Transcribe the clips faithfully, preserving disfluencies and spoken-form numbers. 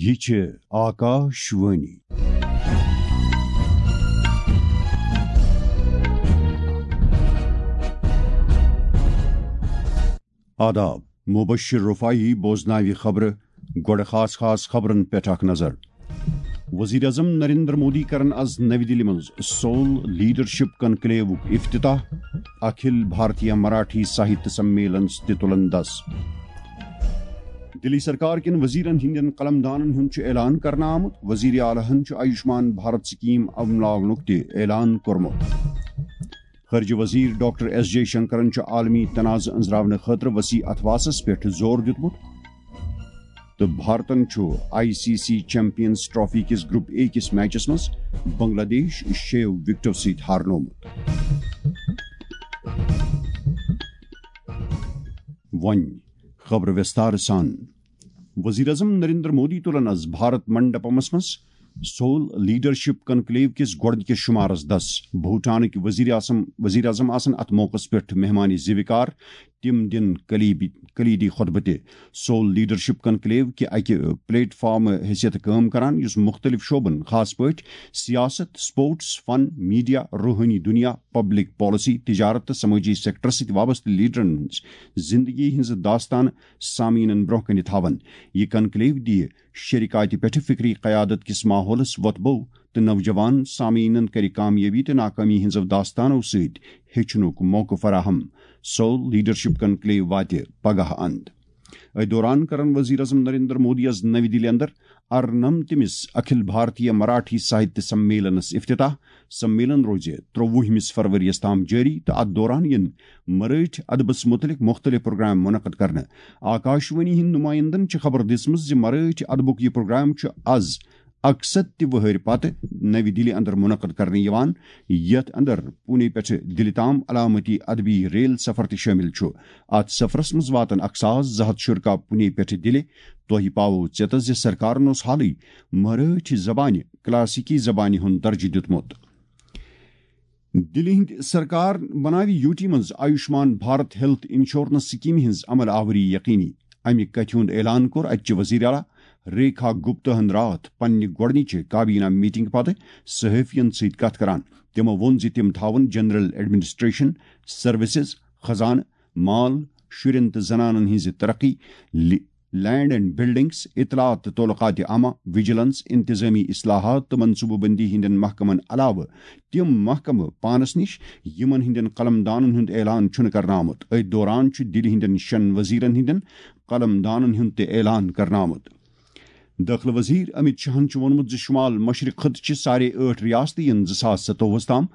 یہِ چھِ آکاش وانی۔ آداب، مبشر رفاعی بوزناوِ خبرٕ۔ گۄڈٕ خاص خاص خبرن پٮ۪ٹھ اکھ نظر۔ وزیر اعظم نریندر مودی کرن از نوی دِلہِ منٛز سول لیڈرشپ کنکلیوُک افتتاح، اکھل بھارتیہ مراٹھی ساہتیہ سمیلنس تہِ تُلن دس۔ دِلی سرکار کٮ۪ن وزیرن ہٕنٛدٮ۪ن قلمدانن ہُنٛد چھُ اعلان کرنہٕ آمُت۔ وزیر اعلیٰ ہن چھُ آیوشمان بھارت سکیٖم عملاونُک تہِ اعلان کوٚرمُت۔ خارجہ وزیر ڈاکٹر ایس جے شنکرن چھُ عالمی تنازعہ أنٛزراونہٕ خٲطرٕ وسیع اتھواسس پٮ۪ٹھ زور دیُتمُت۔ تہٕ بھارتن چھُ I C C champions trophy کِس گروپ اے کِس میچس منٛز بنگلہ دیش شیٚیو وکٹو سۭتۍ ہارنومُت۔ وۄنۍ خبرٕ وِستار سان۔ وزیر اعظم نریندر مودی تُلن از بھارت منڈپمس منٛز سول لیڈرشپ کنکلیو کِس گۄڈٕنِکِس شمارس دس۔ بھوٹانٕکۍ وزیر اعظم، وزیر اعظم آسن اتھ موقعس پٮ۪ٹھ مہمان زیوِکار۔ تِم دِن کلیبی-، کلیدی خطبہٕ تہِ۔ سول لیڈرشپ کنکلیو کہِ اکہِ پلیٹ فارم حیثیت کٲم کران، یُس مختلف شعبن، خاص پٲٹھۍ سیاست، سپورٹس، فن، میڈیا، روحٲنی دنیا، پبلک پالیسی، تجارت تہٕ سمٲجی سیکٹرس سۭتۍ وابستہٕ لیڈرن ہٕنٛز زندگی ہٕنٛز داستان سامعیٖنن برٛونٛہہ کنہِ تھاون۔ یہِ کنکلیو دِیہِ شریکاتہِ پٮ۪ٹھ فکری قیادت کِس ماحولس وۄتھٕ بو تہٕ نوجوان سامعیٖنن کرِ کامیٲبی تہٕ ناکٲمی ہٕنٛزو داستانو سۭتۍ ہیٚچھنُک موقعہٕ فراہم۔ سول لیڈرشپ کنکلیو واتہِ پگاہ اند۔ أتھۍ دوران کرن وزیر اعظم نریندر مودی یَس نوی دِلہِ اندر ارنمتمِس اکھل بھارتیہ مراٹھی ساہتیہ سمیلنس افتتاح۔ سمیلن روزِ ترٛوُہمِس فروری یَس تام جٲری تہٕ اتھ دوران یِن مرٲٹھۍ ادبس مُتعلق مُختٔلِف پروگرام منعقد کرنہٕ۔ آکاشوانی ہٕنٛدۍ نُمٲیندن چھِ خبر دِژمٕژ زِ مرٲٹھۍ ادبُک یہِ پروگرام چھُ از اَکسَتھ تہِ وٕہٕرۍ پتہٕ نوی دِلہِ اندر منعقد کرنہٕ یِوان، یتھ اندر پونے پٮ۪ٹھٕ دِلہِ تام علامتی ادبی ریل سفر تہِ شٲمِل چھُ۔ اتھ سفرس منٛز واتن اکھ ساس زٕ ہتھ شرکا پونے پٮ۪ٹھٕ دِلہِ۔ تۄہہِ پاوو ژیتس زِ سرکارن اوس حالٕے مرٲٹھۍ زبانہِ کلاسیکی زبانہِ ہُنٛد درجہٕ دیُتمُت۔ دِلہِ ہٕنٛدِ سرکار بناوِ یوٗ ٹی منٛز آیوشمان بھارت ہیلتھ انشورنس سکیمہِ ہٕنٛز عمل آوری یقینی۔ امہِ کتھِ ہُنٛد اعلان کوٚر اتہِ چہِ وزیر اعلیٰ ریکھا گپتا ہن راتھ پننہِ گۄڈٕنِچہِ کابینہ میٹنگ پتہٕ صحافین سۭتۍ کتھ کران۔ تِمو ووٚن زِ تِم تھاون جنرل ایڈمنسٹریشن، سروسز، خزانہٕ، مال، شُرٮ۪ن تہٕ زنانن ہٕنٛزِ ترقی، لی-، لینڈ اینڈ بلڈنگز، اطلاعات تہٕ تعلقات عامہ، وجیلنس، انتظامی اصلاحات تہٕ منصوبہٕ بندی ہٕنٛدٮ۪ن محکمن علاوٕ تِم محکمہٕ پانس نِش، یِمن ہٕنٛدٮ۪ن قلم دانن ہُنٛد اعلان چھُنہٕ کرنہٕ آمُت۔ أتھۍ دوران چھُ دِلہِ ہٕنٛدٮ۪ن شٮ۪ن وزیرن ہٕنٛدٮ۪ن قلم دانن ہُنٛد تہِ اعلان کرنہٕ آمُت۔ دٲخلہٕ وزیر امیت شاہن چھُ ووٚنمُت زِ شمال مشرق خطہٕ چہِ ساڑھے ٲٹھ ریاستہٕ یِن زٕ ساس ستووُہس تام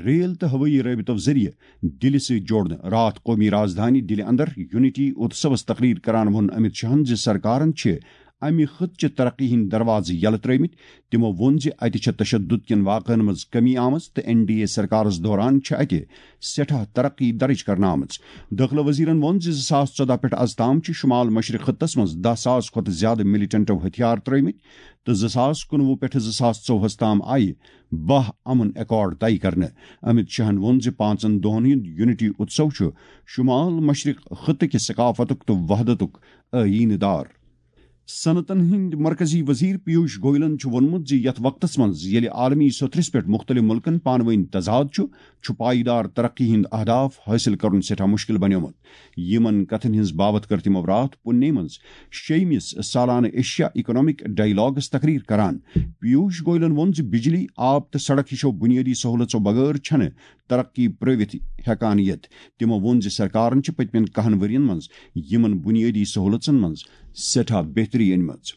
ریل تہٕ ہوٲیی رٲبطو ذٔریعہٕ دِلہِ سۭتۍ جوڑنہٕ۔ راتھ قومی راجدھانی دِلہِ اندر یونٹی اتسوس تقریر کران ووٚن امیت شاہن زِ سرکارن چھِ امہِ خطہٕ چہِ ترقی ہٕنٛدۍ دروازٕ یلہٕ ترٲومٕتۍ۔ تِمو ووٚن زِ اتہِ چھےٚ تشدد کٮ۪ن واقعن منٛز کمی آمٕژ تہٕ این ڈی اے سرکارس دوران چھِ اتہِ سٮ۪ٹھاہ ترقی درٕج کرنہٕ آمٕژ۔ دٲخلہٕ وزیرن ووٚن زِ زٕ ساس ژۄدہ پٮ۪ٹھ از تام چھِ شمال مشرق خطس منٛز دَہ ساس کھۄتہٕ زیادٕ ملٹنٹو ہتھیار ترٲومٕتۍ تہٕ زٕ ساس کُنوُہ پٮ۪ٹھٕ زٕ ساس ژوٚوُہس تام آیہِ باہ امن ایکارڈ طے کرنہٕ۔ امیت شاہن ووٚن زِ پانٛژن دۄہن ہُنٛد یونٹی اتسو چھُ شمال مشرق خطہٕ کہِ ثقافتُک تہٕ وحدتُک آئینہٕ دار۔ صنعتن ہٕنٛدۍ مرکزی وزیر پیوش گوئلن چھُ ووٚنمُت زِ یتھ وقتس منٛز ییٚلہِ عالمی سطحس پٮ۪ٹھ مُختٔلِف مُلکن پانہٕ وٲنۍ تضاد چھُ، چھُ پائیدار ترقی ہُنٛد اہداف حٲصِل کرُن سٮ۪ٹھاہ مُشکِل بنیومُت۔ یِمن کتھن ہٕنٛز باوتھ کٔر تِمو راتھ پُنے منٛز شیٚیمِس سالانہٕ ایشیا اکنامک ڈائیلاگس تقریر کران۔ پیوش گوئلن ووٚن زِ بجلی، آب تہٕ سڑک ہِشو بنیٲدی سہولژو بغٲر چھنہٕ ترقی پرٲوِتھ ہٮ۪کان یِتھ۔ تِمو ووٚن زِ سرکارن چھِ پٔتمٮ۪ن کہن ؤرین منٛز یِمن بنیٲدی سہولژن منٛز سٮ۪ٹھاہ بہتری أنمٕژ۔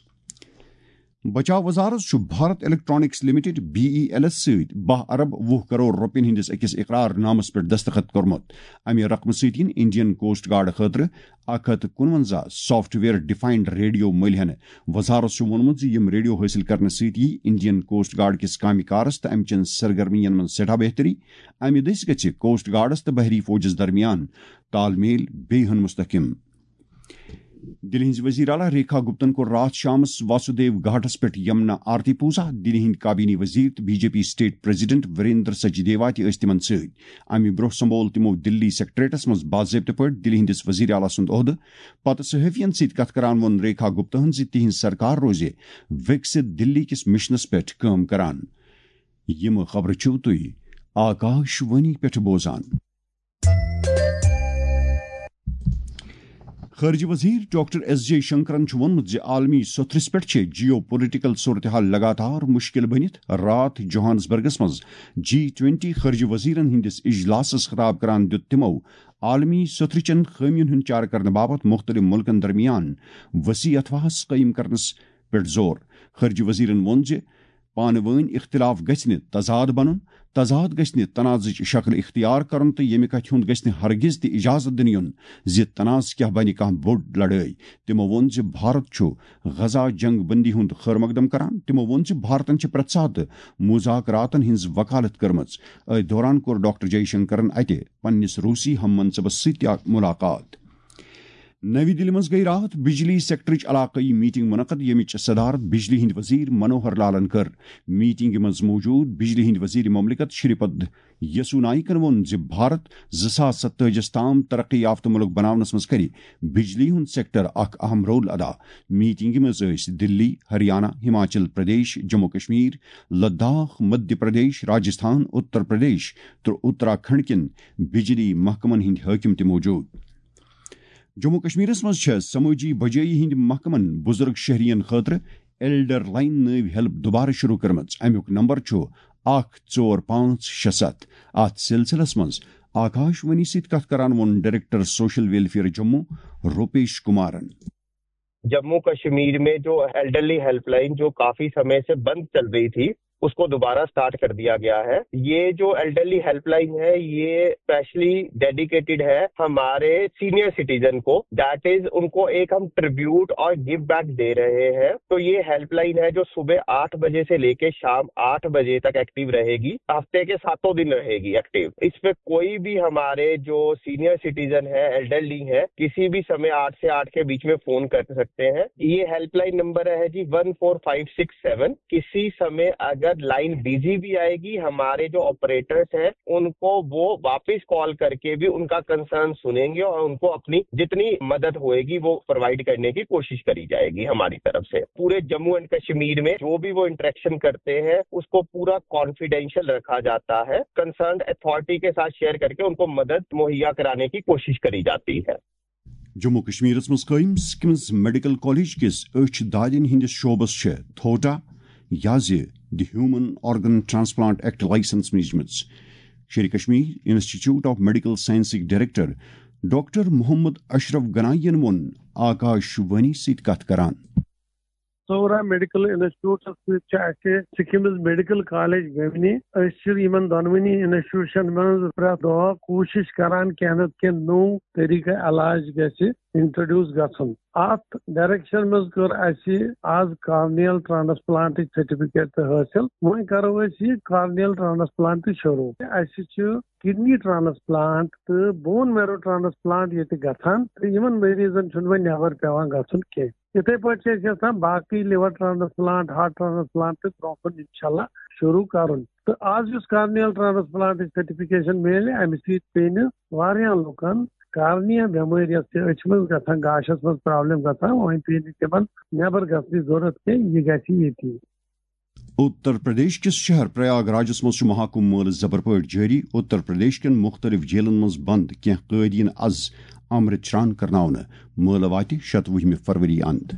بچاو وزارت چھُ Bharat electronics limited, B E L ایس، سۭتۍ باہ ارب وُہ کرور رۄپین ہٕنٛدِس أکِس اقرار نامس پٮ۪ٹھ دستخط کوٚرمُت۔ امہِ رقمہٕ سۭتۍ یِن انڈین کوسٹ گارڈ خٲطرٕ اکھ ہتھ کُنونزہ سافٹ ویئر ڈیفائنڈ ریڈیو مٔلۍ ہٮ۪نہٕ۔ وزارت چھُ ووٚنمُت زِ یِم ریڈیو حٲصِل کرنہٕ سۭتۍ یِیہِ انڈین کوسٹ گارڈ کِس کامہِ کارس تہٕ امہِ چٮ۪ن سرگرمین منٛز سٮ۪ٹھاہ بہتری۔ امہِ دٔسۍ گژھِ کوسٹ گارڈس تہٕ بحری فوجس درمیان تال میل بیٚیہِ ہن مستحکم۔ دِلہِ ہٕنٛزِ وزیر اعلیٰ ریکھا گپتن کوٚر راتھ شامس واسودیو گھاٹس پٮ۪ٹھ یمنا آرتی پوزا۔ دِلہِ ہٕنٛدۍ کابینی وزیر تہٕ B J P state president Virendra Sachdeva تہِ ٲسۍ تِمن سۭتۍ۔ امہِ برٛونٛہہ سمبول تِمو دِلی سیکرٹریٹس منٛز باضٲبطہٕ پٲٹھۍ دِلہِ ہٕنٛدِس وزیر اعلیٰ سُنٛد عہدٕ۔ پتہٕ صحافین سۭتۍ کتھ کران ووٚن ریکھا گپتاہن زِ تِہنٛز سرکار روزِ وِکسِت دِلی کِس مشنس پٮ۪ٹھ کٲم کران۔ یِم خبرٕ چھِو تُہۍ آکاش وانی پٮ۪ٹھ بوزان۔ خارجہ وزیر ڈاکٹر ایس جے شنکرن چھُ ووٚنمُت زِ عالمی سوٚتھرِس پٮ۪ٹھ چھِ جیو پولیٹیکل صورتحال لگاتار مشکل بٔنِتھ۔ راتھ جوہانسبرگس منٛز جی ٹوینٹی خارجہ وزیرن ہٕنٛدِس اجلاسس خطاب کران دیُت تِمو عالمی سوٚتھرِ چٮ۪ن خٲمین ہُنٛد چارٕ کرنہٕ باپتھ مُختٔلِف مُلکن درمیان وسیع اتھواہس قٲیِم کرنس پٮ۪ٹھ زور۔ خارجہ وزیرن ووٚن زِ پانہٕ وٲنۍ اختلاف گژھِ نہٕ تضاد بنُن، تضاد گژھِ نہٕ تنازٕچ شکل اختیار کرُن تہٕ ییٚمہِ کتھِ ہُنٛد گژھِ نہٕ ہرگز تہِ اجازت دِنہٕ یُن زِ تنازٕ کیٛاہ بنہِ کانٛہہ بوٚڑ لڑٲے۔ تِمو ووٚن زِ بھارت چھُ غزہ جنگ بندی ہُنٛد خٲر مقدم کران۔ تِمو ووٚن زِ بھارتن چھِ پرٛٮ۪تھ ساتہٕ مذاکراتن ہٕنٛز وکالت کٔرمٕژ۔ أتھۍ دوران کوٚر ڈاکٹر جے شنکرن اتہِ پننِس روسی ہم منصبس سۭتۍ تہِ اکھ ملاقات۔ نَوِ دِلہِ منٛز گٔیہِ راتھ بجلی سیکٹرٕچ علاقٲیی میٹنگ منعقد، ییٚمِچ صدارت بجلی ہٕنٛدۍ وزیر منوہر لالن کٔر۔ میٹنگہِ منٛز موجود بجلی ہٕنٛدۍ وزیر مملکت شری پد یسو نائکن ووٚن زِ بھارت زٕ ساس ستٲجِس تام ترقی یافتہٕ مُلک بناونس منٛز کرِ بجلی ہُنٛد سیکٹر اکھ اہم رول ادا۔ میٹنگہِ منٛز ٲسۍ دِلی، ہریانہ، ہماچل پردیش، جموں کشمیر، لداخ، مدھیہ پردیش، راجستھان، اتر پردیش تہٕ اتراکھنڈ کٮ۪ن بجلی محکمن ہٕنٛدۍ حٲکم تہِ موجود۔ جموں کشمیرس منٛز چھےٚ سمٲجی بجٲیی ہٕنٛدۍ محکمن بزرگ شہرین خٲطرٕ ایلڈر لائن نٲوۍ ہیلپ دوبارٕ شروع کٔرمٕژ۔ امیُک نمبر چھُ اکھ ژور پانٛژھ شےٚ ستھ۔ اتھ سلسلس منٛز آکاش وانی سۭتۍ کتھ کران ووٚن director social welfare Jammu Rupesh کمارن۔ جموں کشمیر میں جو ایلڈرلی ہیلپ لائن جو کافی سمے سے بند چل رہی تھی، اس کو دوبارہ سٹارٹ کر دیا گیا ہے۔ یہ جو ایلڈرلی ہیلپ لائن ہے، یہ اسپیشلی ڈیڈیکیٹڈ ہے ہمارے سینئر سٹیزن کو، دیٹ از ان کو ایک ہم ٹریبیوٹ اور گیو بیک دے رہے ہیں۔ تو یہ ہیلپ لائن ہے جو صبح آٹھ بجے سے لے کے شام آٹھ بجے تک ایکٹیو رہے گی، ہفتے کے ساتوں دن رہے گی ایکٹیو۔ اس پہ کوئی بھی ہمارے جو سینئر سٹیزن ہے، ایلڈرلی ہے، کسی بھی سمے آٹھ سے آٹھ کے بیچ میں فون کر سکتے ہیں۔ یہ ہیلپ لائن نمبر ہے جی ون فور فائیو سکس سیون۔ کسی سمے اگر لائن بزی بھی آئے گی، ہمارے جو آپریٹرز ہیں ان کو وہ واپس کال کر کے بھی ان کا کنسرن سنیں گے اور ان کو اپنی جتنی مدد ہوئے گی وہ پرووائڈ کرنے کی کوشش کری جائے گی ہماری طرف سے۔ پورے جموں اینڈ کشمیر میں جو بھی وہ انٹریکشن کرتے ہیں اس کو پورا کانفیڈینشل رکھا جاتا ہے، کنسرنڈ اتھارٹی کے ساتھ شیئر کر کے ان کو مدد مہیا کرانے کی کوشش کری جاتی ہے۔ جموں کشمیرس منٛز قٲیِم سکمز میڈیکل کالج کِس أچھ دادٮ۪ن ہٕنٛدِس شعبس چھےٚ تھوٹا یا زِ the human organ transplant act license میجمٕژ۔ شیرِ کشمیر انسٹیٹیوٹ آف میڈیکل سائنسٕکۍ ڈائریکٹر ڈاکٹر محمد اشرف گنائی ین ووٚن آکاش وانی سۭتۍ کتھ کران۔ سورا میڈیکل انسٹیٹیوٹس سۭتۍ چھِ اَسہِ سکمز میڈیکل کالج ویونی۔ أسۍ چھِ یِمن دۄنوٕنی انسٹیٹیوشن منٛز پرٛٮ۪تھ دۄہ کوٗشش کران کینٛہہ نتہٕ کینٛہہ نوٚو طریقہٕ علاج گژھِ انٹروڈیوس گژھُن۔ اتھ ڈائریکشن منٛز کٔر اَسہِ آز کارنیل ٹرانسپلانٹٕچ سرٹیفکیٹ تہِ حٲصِل۔ وۄنۍ کرو أسۍ یہِ کارنیل ٹرانسپلانٹ تہِ شروع۔ اَسہِ چھِ کڈنی ٹرانسپلانٹ تہٕ بون میرو ٹرانسپلانٹ ییٚتہِ گژھان تہٕ یِمن مریضن چھُنہٕ وۄنۍ نٮ۪بر پٮ۪وان گژھُن کینٛہہ۔ یِتھے پٲٹھۍ چھِ أسۍ یژھان باقٕے لِور ٹرانسپلانٹ، ہارٹ ٹرانسپلانٹ تہٕ برونٛہہ کُن انشاءاللہ شروع کرُن۔ تہٕ آز یُس کارنیل ٹرانسپلانٹٕچ سرٹیفکیشن میلہِ، امہِ سۭتۍ پیٚیہِ نہٕ واریاہن لُکن کارنیا بٮ۪مٲرۍ یۄس چھِ أچھِ منٛز گژھان، گاشس منٛز پرابلم گژھان، وۄنۍ پیٚیہِ نہٕ تِمن نٮ۪بر گژھنٕچ ضروٗرت کینٛہہ، یہِ گژھِ ییٚتی۔ اتر پردیش کِس شہر پریاگ راجس منٛز چھُ مہاکمبھ مٲلہٕ زبر پٲٹھۍ جٲری۔ اتر پردیش کٮ۪ن مُختٔلِف جیلن منٛز بند کینٛہہ قٲدیٖن از امرت چران کرناونہٕ۔ مٲلہٕ واتہِ شتوُہمہِ فروری اند۔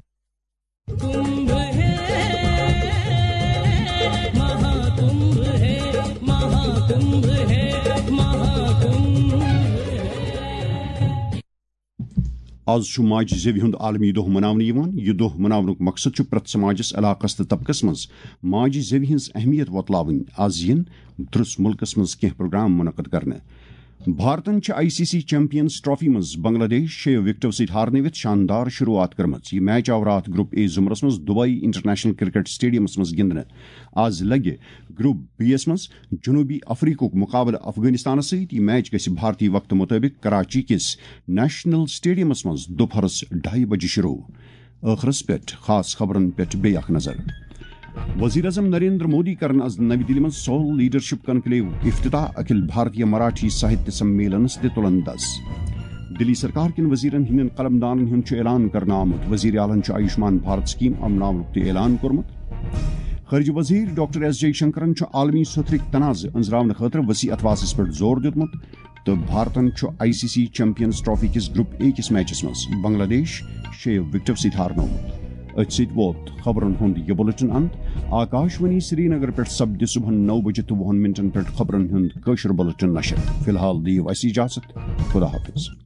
از چھُ ماجہِ زیوِ ہُنٛد عالمی دۄہ مناونہٕ یِوان۔ یہِ دۄہ مناونُک مقصد چھُ پرٛٮ۪تھ سماجس، علاقس تہٕ طبقس منٛز ماجہِ زیوِ ہٕنٛز اہمیت وۄتلاوٕنۍ۔ از یِن درس مُلکس منٛز کینٛہہ پروگرام منعقد کرنہٕ۔ بھارتن چھِ I C C champions trophy منٛز بنگلہ دیش شیٚیو وکٹو سۭتۍ ہارنٲوِتھ شاندار شروعات کٔرمٕژ۔ یہِ میچ آو راتھ گروپ اے زمرس منٛز دبئی انٹرنیشنل کرکٹ سٹیڈیمس منٛز گِنٛدنہٕ۔ آز لگہِ گروپ بی یس منٛز جنوبی افریقہُک مقابلہٕ افغانستانس سۭتۍ۔ یہِ میچ گژھِ بھارتی وقتہٕ مطٲبق کراچی کِس نیشنل سٹیڈیمس منٛز دُپہرس ڈھائی بجے شروع۔ ٲخرس پٮ۪ٹھ خاص خبرن پٮ۪ٹھ بیٚیہِ اکھ نظر۔ وزیر اعظم نریندر مودی کرن از نئی دلی منٛز سول لیڈرشپ کنکلیو افتتاح۔ اکھل بھارتیہ مراٹھی ساہتیہ سمیلنس تہِ تُلن دس۔ دلی سرکار کٮ۪ن وزیرن ہٕنٛدٮ۪ن قلمدانن ہُنٛد چھُ اعلان کرنہٕ آمُت۔ وزیر اعلیٰ ہن چھُ آیوشمان بھارت سکیم امناونُک تہِ اعلان کوٚرمُت۔ خارجہ وزیر ڈاکٹر ایس جے شنکرن چھُ عالمی سوٚتھرٕکۍ تنازٕ أنٛزراونہٕ خٲطرٕ وسیع اتھواسس پٮ۪ٹھ زور دیُتمُت تہٕ بھارتن چھُ I C C champions trophy کِس گروپ اے کِس میچس منٛز بنگلہ دیش شیٚیو وکٹو سۭتۍ ہارنوومُت۔ أتھۍ سۭتۍ ووت خبرن ہُنٛد یہِ بُلٹن اند۔ آکاش وانی سرینگر پٮ۪ٹھ سپدِ صبحن نو بجے تہٕ وُہن منٹن پٮ۪ٹھ خبرن ہُنٛد کٲشُر بُلٹن نشر۔ فی الحال دِیِو اَسہِ اجازت۔ خدا حافظ۔